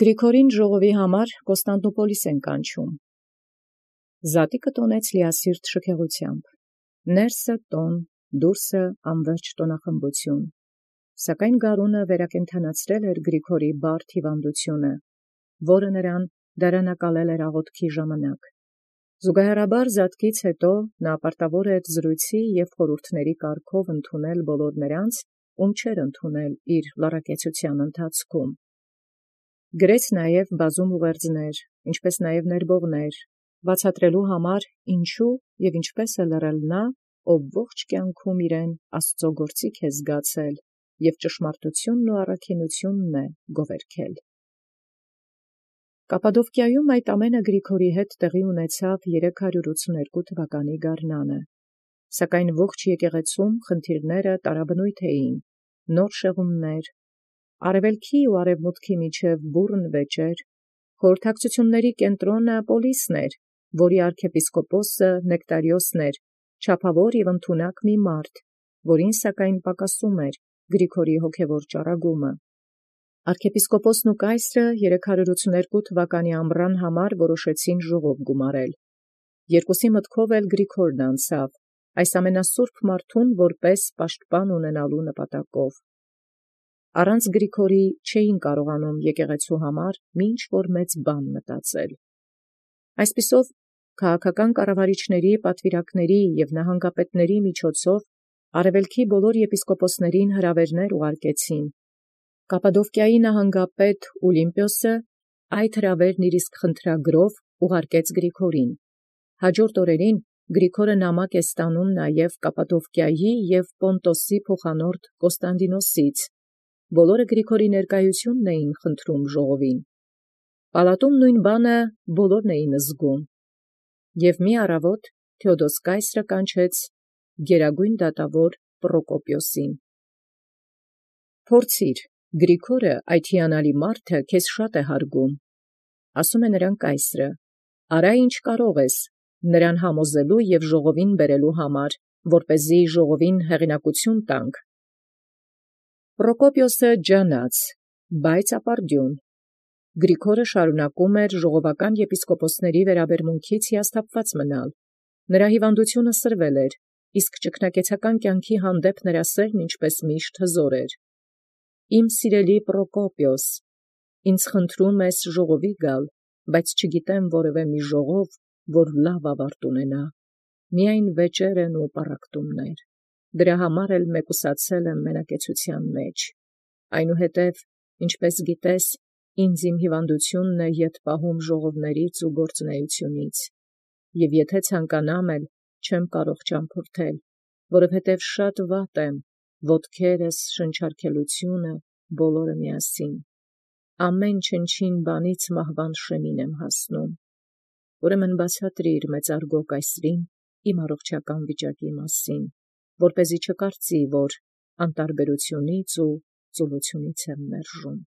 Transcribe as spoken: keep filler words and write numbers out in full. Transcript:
Գրիգորին ժողովի համար Կոստանդնուպոլիս են կանչում։ Զատիկը տոնեց լիասիրտ շքեղութեամբ. ներսը տոն, դուրսը անվերջ տոնախմբություն։ Սակայն գարունը վերակենդանացրել էր Գրիգորի բարդ հիվանդությունը, որը նրան դարանակալել էր աղոթքի ժամանակ։ Զուգահեռաբար զատկից հետո նա պարտավոր էր զրույցի և խորհուրդների կարգով ընդունել բոլոր նրանց, ում չէր ընդունել իր լառակեցության ընթացքում։ Գրեց նաև բազում ուղերձներ, ինչպես նաև ներբողներ, բացատրելու համար ինչու և ինչպես է լռել նա, ով ողջ կյանքում իրեն Աստուծո գործիք է զգացել և ճշմարտութիւնն ու առաքինութիւնն է գովերգել։ Կապադովկիայում այդ ամենը Գրիգորի հետ տեղի ունեցավ երեք հարյուր ութսուներկու թվականի գարնանը, սակայն ողջ եկեղեցում խնդիրները տարաբնույթ էին, նոր շեղումներ, արևելքի ու արևմուտքի միջև բուռն վեճեր, խորհրդակցությունների կենտրոնը Պոլիսն էր, որի arczepiskoposը Նեկտարիոսն էր, չափավոր և ընդունակ մի մարդ, որին սակայն պակասում էր Գրիգորի հոգևոր ճառագումը։ Arczepiskoposն ու կայսրը երեք հարյուր ութսուներկու թվականի ամռան համար որոշեցին ժողով գումարել։ Երկուսի մտքով էլ Գրիգորն անցավ, այս ամենասուրբ մարդուն որպես պաշտպան ունենալու նպատակով։ Առանց Գրիգորի չէին կարողանում եկեղեցու համար մի ինչ-որ մեծ բան մտածել։ Այսպիսով, քաղաքական կառավարիչների, պատվիրակների և նահանգապետների միջոցով արևելքի բոլոր եպիսկոպոսներին հրավերներ ուղարկեցին։ Կապադովկիայի նահանգապետ Ուլիմպիոսը այդ հրավերն իր իսկ խնդրագրով ուղարկեց Գրիգորին։ Հաջորդ օրերին Գրիգորը նամակ է ստանում նաև Կապադովկիայի և Պոնտոսի փոխանորդ Կոստանդինոսից։ Բոլորը Գրիգորի ներկայութիւնն էին խնդրում ժողովին։ Պալատում նույն բանը բոլորն էին զգում։ Եւ մի առավոտ Թէոդոս կայսրը կանչեց գերագույն դատավոր Պրոկոպիոսին։ «Փորձիր, Գրիգորը, այդ հիանալի մարդը, քեզ շատ է հարգում, ասում է նրան կայսրը, արա ինչ կարող ես նրան համոզելու և ժողովին բերելու համար, որպեսզի ժողովին հեղինակություն տանք։ Պրոկոպիոսը ջանաց, բայց ապարդյուն։ Գրիգորը շարունակում էր ժողովական եպիսկոպոսների վերաբերմունքից հիասթափված մնալ։ Նրա հիվանդությունը սրվել էր, իսկ ճգնակեցական կյանքի հանդեպ նրա սերն ինչպես միշտ հզոր էր։ Իմ սիրելի Պրոկոպիոս, ինձ խնդրում ես ժողովի գալ, բայց չգիտեմ որևէ մի ժողով, որ լավ ավարտ ունենա, միայն վեճեր են ու պառակտումներ, դրա համար էլ մեկուսացել եմ մենակեցության մեջ։ Այնուհետև, ինչպես գիտես, ինձ իմ հիվանդությունն է ետ պահում ժողովներից ու գործունեությունից, և եթե ցանկանամ էլ, չեմ կարող ճամփորդել, որովհետև շատ վատ եմ, ոտքերս, շնչառքելությունը, բոլորը միասին, ամեն չնչին բանից մահվան շեմին եմ հասնում։ Ուրեմն բացատրիր մեծարգո կայսրին իմ առողջական վիճակի մասին, որպեսզի չկարծի, որ անտարբերությունից ու ծուլությունից եմ մերժում։